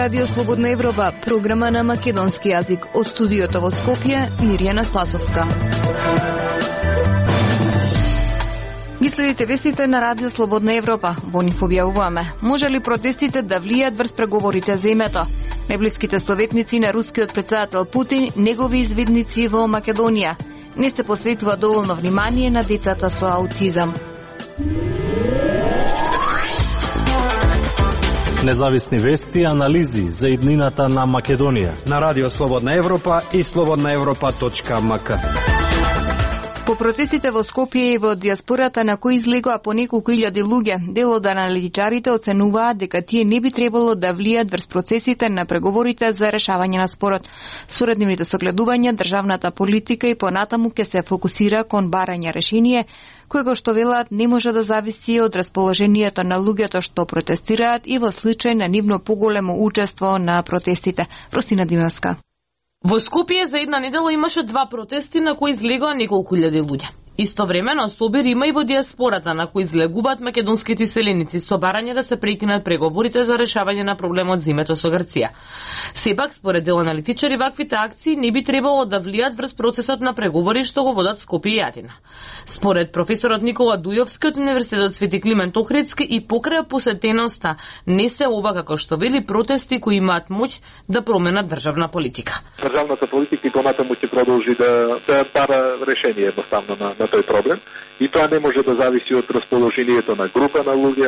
Радио Слободна Европа, програма на македонски јазик. Од студиото во Скопје, Мирјана Спасовска. Ги следите вестите на Радио Слободна Европа. Во нив објавуваме: може ли протестите да влијат врз преговорите за името? Најблиските советници на рускиот претседател Путин, негови извидници во Македонија. Не се посветува доволно внимание на децата со аутизам. Независни вести и анализи за иднината на Македонија на Радио Слободна Европа и slobodnaevropa.mk. По протестите во Скопје и во диаспората на кои излегоа по неколку илјади луѓе, дел од аналитичарите оценуваат дека тие не би требало да влијат врз процесите на преговорите за решавање на спорот. Според нивните согледувања, државната политика и понатаму ќе се фокусира кон барање решение, кој што велат не може да зависи од расположението на луѓето што протестираат и во случај на нивно поголемо учество на протестите. Росина Димевска. Во Скопје за една недела имаше 2 протести на кои излегоа неколку илјади луѓе. Истовремено собир има и во диаспората на кои излегуваат македонските селеници со барање да се прекинат преговорите за решавање на проблемот за името со Грција. Сепак, според дел аналитичари, ваквите акции не би требало да влијат врз процесот на преговори што го водат Скопје и Атина. Според професорот Никола Дујовски од Универзитетот Свети Климент Охридски и покрај посетеноста не се оба, како што вели, протести кои имаат моќ да променат државна политика. Државната политика и понатаму ќе продолжи да бара решение едноставно на тој проблем, и тоа не може да зависи од расположението на група на луѓе,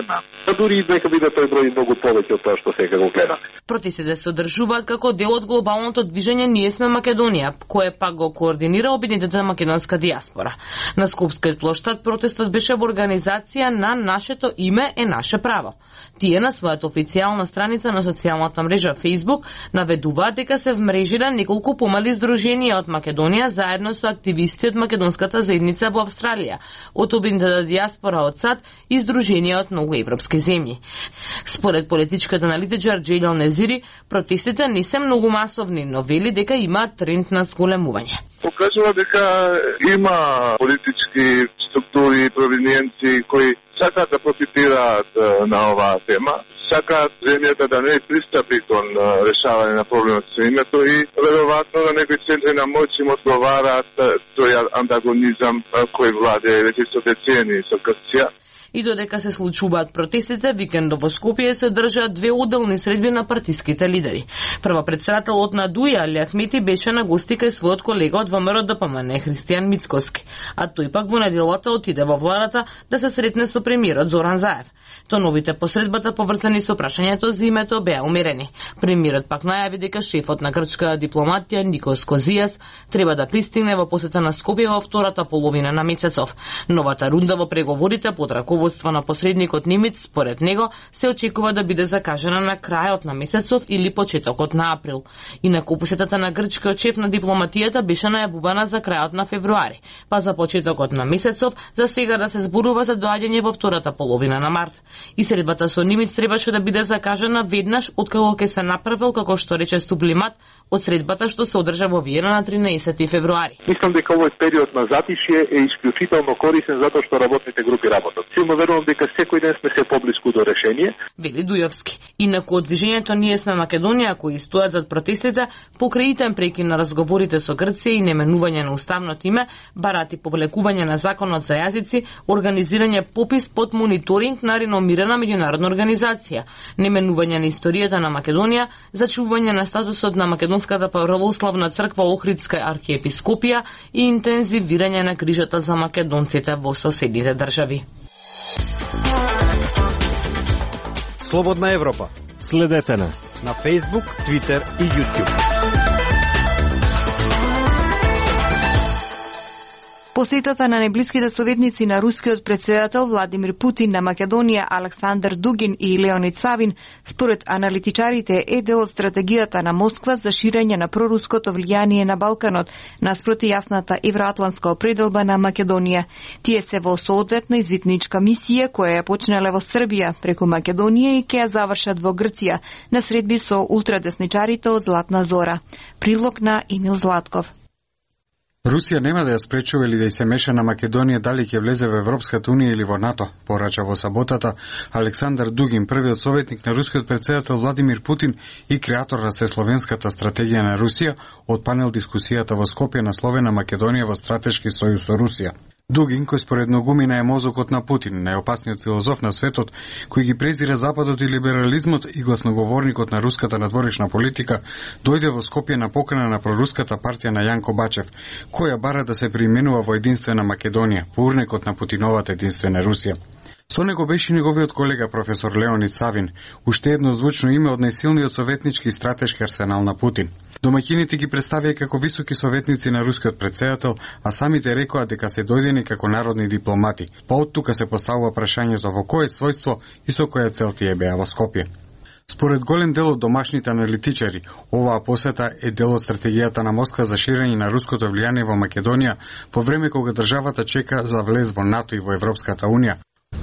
дури и нека биде тој број многу повеќе од тоа што сега го гледаме. Протестите се одржуваат како дел од глобалното движење Ние сме Македонија, кое пак го координира обединетата македонска диаспора. На Скопскиот плоштад протестот беше во организација на Нашето име е наше право. Тие на својата официјална страница на социјалната мрежа Facebook наведуваат дека се вмрежира неколку помали здруженија од Македонија заедно со активисти од македонската заедница во Австралија, од обединетата диаспора од САД и здруженија од многу европски земји. Според политичката аналитичар Джејдел Незири, протестите не се многу масовни, но вели дека имаат тренд на зголемување. Покажува дека има политички структури и провиненци кои сакаат да профитираат на оваа тема, сакаат земјата да не пристапи кон решавање на проблемот со името и веројатно на некои центри на моќ им одговараат тој антагонизам кој владее веќе со децении со Грција. И додека се случуваат протестите, викендот во Скопје се држаат 2 уделни средби на партиските лидери. Првопредседателот на Дуја, Али Ахмети, беше на гости кај својот колега од ВМРО ДПМН, Христијан Мицкоски, а тој пак во неделата отиде во владата да се сретне со премиерот Зоран Заев. Тоновите посредбата поврзани со прашањето за името беа умерени. Премиерот пак најави дека шефот на грчката дипломатија Никос Козијас треба да пристигне во посета на Скопје во втората половина на месецов. Новата рунда во преговорите под раководство на посредникот Немец, според него, се очекува да биде закажана на крајот на месецов или почетокот на април. Инаку посетата на грчкиот шеф на дипломатијата беше најавувана за крајот на февруари, па за почетокот на месецов, за сега да се зборува за доаѓање во втората половина на март. И средбата со Немец требаше да биде закажана веднаш откако ќе се направил, како што рече сублимат, од средбата што се одржа во Виена на 13 февруари. Мислам дека овој период на затишје е исклучително корисен затоа што работните групи работат. Силно верувам дека секој ден сме се поблиску до решение, вели Дујовски. Инаку од движењето Ние сме Македонија, кои стојат зад протестите, покрај итен прекин на разговорите со Грција и неменување на уставното име, барати повлекување на законот за јазици, организирање попис под мониторинг на реномирана меѓународна организација, неменување на историјата на Македонија, зачувување на статусот на Македонската православна црква Охридска архиепископија и интензивирање на грижата за македонците во соседните држави. Слободна Европа. Следете на Facebook, Twitter и YouTube. Посетата на најблиските советници на рускиот претседател Владимир Путин на Македонија Александар Дугин и Леонид Савин, според аналитичарите, е дел од стратегијата на Москва за ширење на проруското влијание на Балканот, наспроти јасната евроатлантска определба на Македонија. Тие се во соодветна извитничка мисија која ја почнале во Србија преку Македонија и ќе ја завршат во Грција на средби со ултрадесничарите од Златна Зора. Прилог на Емил Златков. Русија нема да ја спречува или да ја се меша на Македонија дали ќе влезе во Европската унија или во НАТО, порача во саботата Александар Дугин, првиот советник на рускиот претседател Владимир Путин и креатор на Сесловенската стратегија на Русија од панел дискусијата во Скопје насловена Македонија во стратешки сојуз со Русија. Дугин, кој според многумина е мозокот на Путин, најопасниот филозоф на светот, кој ги презира Западот и либерализмот и гласноговорникот на руската надворешна политика, дојде во Скопје на покана на проруската партија на Јанко Бачев, која бара да се применува во единствена Македонија, по урнекот на Путиновата единствена Русија. Со него беше неговиот колега професор Леонид Савин, уште едно звучно име од најсилниот советнички и стратешки арсенал на Путин. Домаќините ги представија како високи советници на рускиот претседател, а самите рекоа дека се дојдени како народни дипломати. Па од тука се поставува прашањето во кое својство и со која цел тие беа во Скопје. Според голем дел од домашните аналитичари, оваа посета е дел од стратегијата на Москва за ширење на руското влијание во Македонија по време кога државата чека за влез во НАТО и во Европската унија.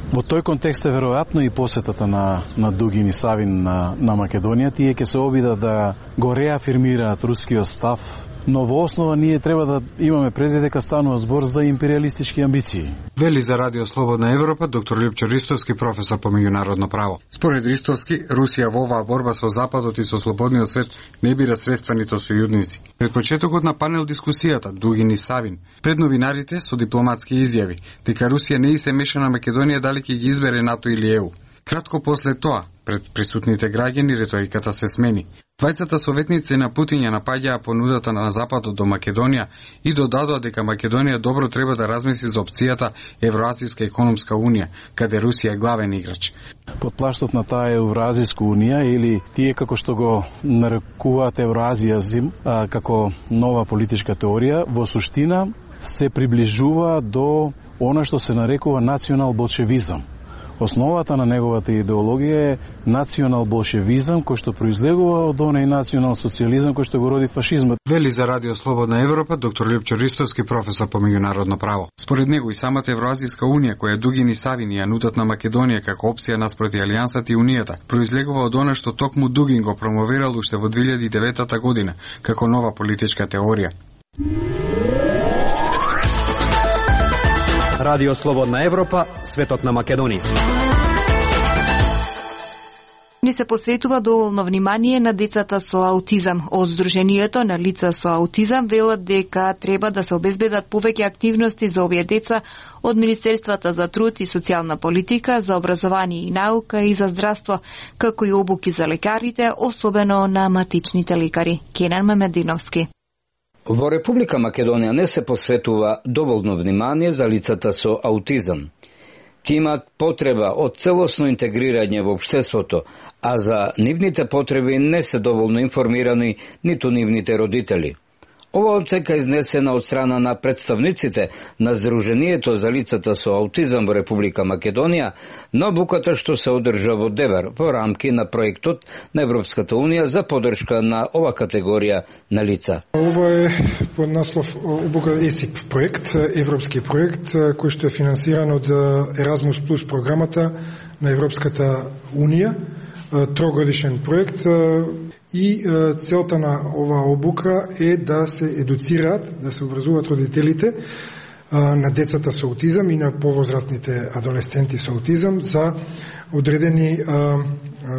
Во тој контекст е веројатно и посетата на Дугин и Савин на Македонија. Тие ќе се обидат да го реафирмираат рускиот став, но во основа ние треба да имаме предвид дека станува збор за империалистички амбиции. Вели за Радио Слободна Европа доктор Лјупчо Ристовски, професор по меѓународно право. Според Ристовски, Русија во оваа борба со Западот и со слободниот свет не бира средства нито сојузници. Пред почетокот на панел дискусијата Дугин и Савин пред новинарите со дипломатски изјави дека Русија не и се меша на Македонија дали ќе ги избере НАТО или ЕУ. Кратко после тоа, пред присутните граѓани, риториката се смени. Двајцата советници на Путин ја напаѓаа понудата на Западот до Македонија и додадоа дека Македонија добро треба да размисли за опцијата Евроазијска економска унија, каде Русија е главен играч. Под плаштот на таа Евроазијска унија или тие како што го нарекуваат Евроазијазм како нова политичка теорија, во суштина се приближува до она што се нарекува национал-болшевизам. Основата на неговата идеологија е национал-болшевизам, кој што произлегува од онај национал-социјализам кој што го роди фашизмот. Вели за Радио Слободна Европа доктор Лјупчо Ристовски, професор по меѓународно право. Според него и самата Евроазијска унија, која Дугин и Савин ја нудат на Македонија како опција наспроти Алијансата и Унијата, произлегува од она што токму Дугин го промовирал уште во 2009 година како нова политичка теорија. Радио Слободна Европа, светот на Македонија. Ни се посветува доволно внимание на децата со аутизам. Од Сдруженијето на лица со аутизам велат дека треба да се обезбедат повеќе активности за овие деца од Министерствата за труд и социјална политика, за образование и наука и за здравство, како и обуки за лекарите, особено на матичните лекари. Кенан Мамединовски. Во Република Македонија не се посветува доволно внимание за лицата со аутизам. Тие имаат потреба од целосно интегрирање во општеството, а за нивните потреби не се доволно информирани ниту нивните родители. Ова оценка е изнесена од страна на представниците на Сдруженијето за лицата со аутизам во Република Македонија на обуката што се одржа во Девер во рамки на проектот на Европската унија за поддршка на ова категорија на лица. Ова е под наслов обука ЕСИП проект, европски проект кој што е финансиран од Еразмус плюс програмата на Европската унија, трогодишен проект. И целта на оваа обука е да се едуцираат, да се образуваат родителите на децата со аутизам и на повозрастните адолесценти со аутизам за одредени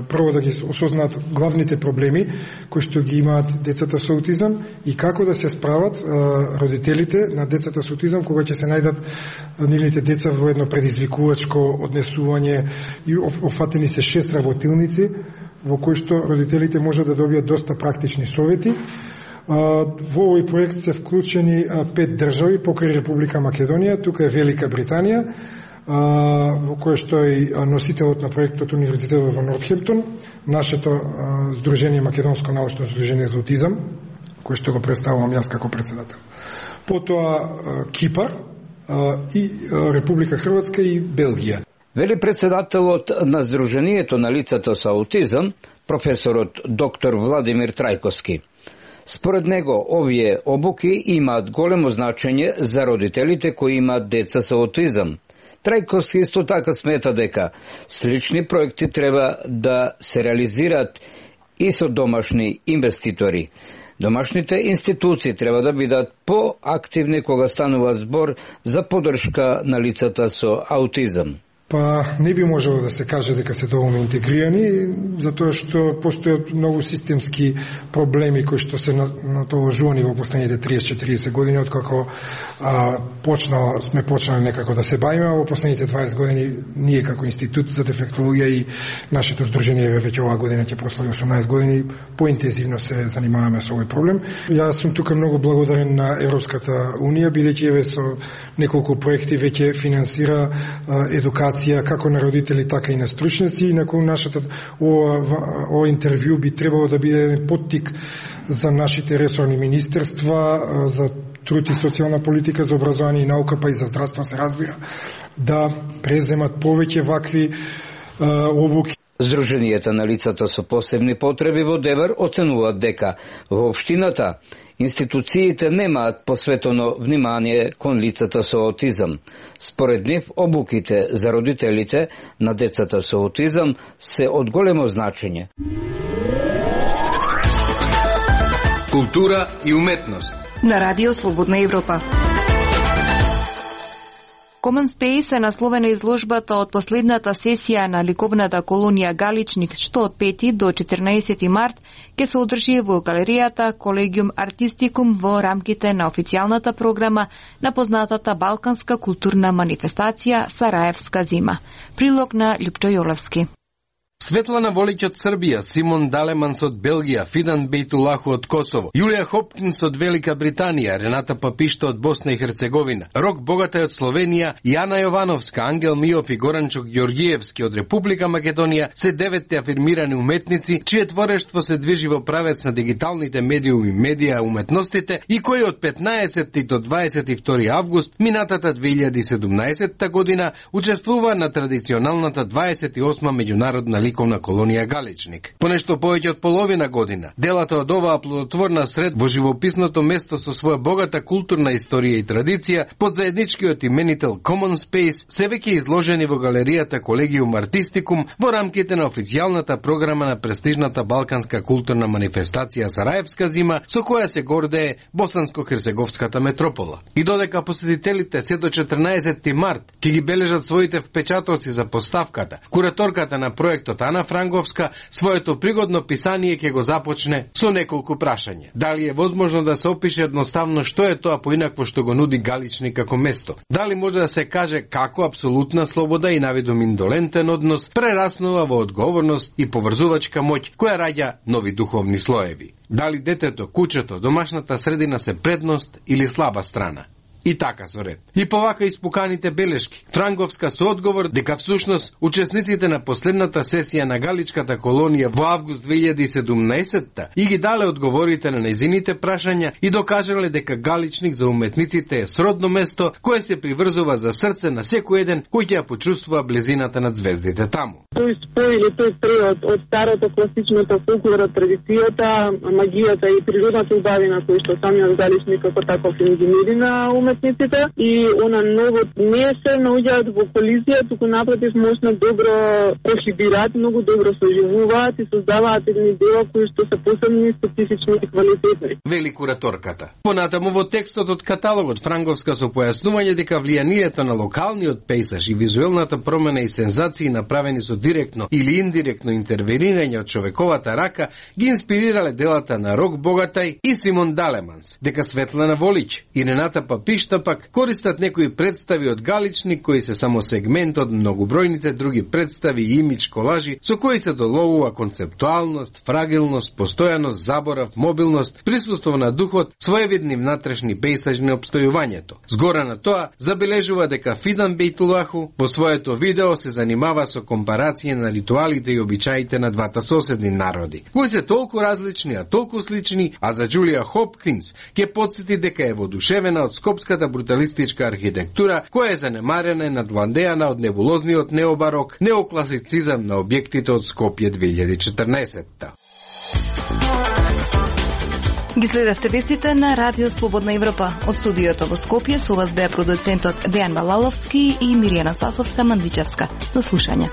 прво да ги осознаат главните проблеми кои што ги имаат децата со аутизам и како да се справат родителите на децата со аутизам кога ќе се најдат нивните деца во едно предизвикувачко однесување и офатени се 6 работилници во кој што родителите може да добијат доста практични совети. Во овој проект се вклучени 5 држави покрај Република Македонија, тука е Велика Британија, во кој што е носителот на проектот Универзитетот во Нортхемптон, нашето Сдружение Македонско научно сдружение за аутизам, кој што го представувам јас како председател. Потоа Кипар и Република Хрватска и Белгија. Вели председателот на Сдруженијето на лицата со аутизам, професорот доктор Владимир Трајковски. Според него, овие обуки имаат големо значење за родителите кои имаат деца со аутизам. Трајковски исто така смета дека слични проекти треба да се реализираат и со домашни инвеститори. Домашните институции треба да бидат поактивни кога станува збор за поддршка на лицата со аутизам. Па не би можело да се каже дека се доволно интегрирани, затоа што постојат многу системски проблеми кои што се натоложувани во последните 30-40 години, откако сме почнали некако да се бавиме, во последните 20 години ние како институт за дефектологија и нашето здружение веќе оваа година ќе прослави 18 години, поинтензивно се занимаваме со овој проблем. Јас сум тука многу благодарен на Европската унија, бидејќи еве со неколку проекти веќе финансира едукација како на родители, така и на стручници, и након нашата ова интервју би требало да биде еден поттик за нашите ресорни министерства, за труд и социјална политика, за образование и наука, па и за здравство се разбира, да преземат повеќе вакви обуки. Здруженијата на лицата со посебни потреби во Девер оценуваат дека во општината институциите немаат посветено внимание кон лицата со аутизам. Според нив, обуките за родителите на децата со аутизам се од големо значење. Култура и уметност на Радио Слободна Европа. Common Space е насловена изложбата од последната сесија на ликовната колонија Галичник, што од 5 до 14 март ќе се одржи во галеријата Collegium Artisticum во рамките на официјалната програма на познатата балканска културна манифестација Сараевска зима. Прилог на Лјупчо Јолевски. Светлана Волиќ од Србија, Симон Далеманс од Белгија, Фидан Бейтулаху од Косово, Јулија Хопкинс од Велика Британија, Рената Папишта од Босна и Херцеговина, Рок Богатај од Словенија, Јана Јовановска, Ангел Миов и Горанчо Ѓорѓиевски од Република Македонија се 9 афирмирани уметници, чие творештво се движи во правец на дигиталните медиуми, медија уметностите и кои од 15 до 22 август минатата 2017 година учествува на традиционалната 28 меѓународна ликовна колонија Галичник. По нешто повеќе од половина година, делата од оваа плодотворна сред во живописното место со своја богата културна историја и традиција, под заедничкиот именител Common Space, се веќе изложени во галеријата Collegium Artisticum во рамките на официјалната програма на престижната балканска културна манифестација Сараевска зима, со која се гордее Босанско-Херцеговската метропола. И додека посетителите се до 14 март ќе ги бележат своите впечатоци за поставката, кураторката на проектот Ана Франговска своето пригодно писание ќе го започне со неколку прашања. Дали е возможно да се опише едноставно што е тоа поинакво што го нуди Галичник како место? Дали може да се каже како апсолутна слобода и навидом индолентен однос прераснува во одговорност и поврзувачка моќ која раѓа нови духовни слоеви? Дали детето, куќето, домашната средина се предност или слаба страна? И така со ред. И повака испуканите белешки. Франговска со одговор дека всушност учесниците на последната сесија на Галичката колонија во август 2017 и ги дале одговорите на незините прашања и докажале дека Галичник за уметниците е сродно место кое се приврзува за срце на секој еден кој ќе ја почувствува близината на звездите таму. Тој спој или тој превод од старото класичното фолклора, традицијата, магијата и природната убавина кој што самиот Галичник како таков им ги нуди на уметниците и она ново не се наоѓаат во колизија, туку напротив можно добро прохибираат, многу добро соживуваат и создаваат едни дела кои што се посебни, специфични и квалитетни. Вели кураторката. Понатаму во текстот од каталогот Франговска со појаснување дека влијанието на локалниот пејзаж и визуелната промена и сензации направени со директно или индиректно интервенирање од човековата рака ги инспирирале делата на Рок Богатај и Симон Далеманс, дека Светлана Волиќ и Рената Папишта пак користат некои представи од Галичник кои се само сегмент од многобројните други представи и имидж колажи со кои се доловува концептуалност, фрагилност, постојаност, заборав, мобилност, присуство на духот, своевидни внатрешни пејзажни обстојувањето. Згора на тоа, забележува дека Фидан Бейтулаху во своето видео се занимава со компарација на ритуалите и обичаите на двата соседни народи, кои се толку различни, а толку слични, а за Џулија Хопкинс ќе потсети дека е воодушевена од скопската бруталистичка архитектура, која е занемарена и надвладеана од небулозниот необарок, неокласицизам на објектите од Скопје 2014. Ги следевте вестите на Радио Слободна Европа. Од студиото во Скопје со вас беа продуцентот Дејан Балаловски и Миријана Спасовска Мандичевска. До слушање.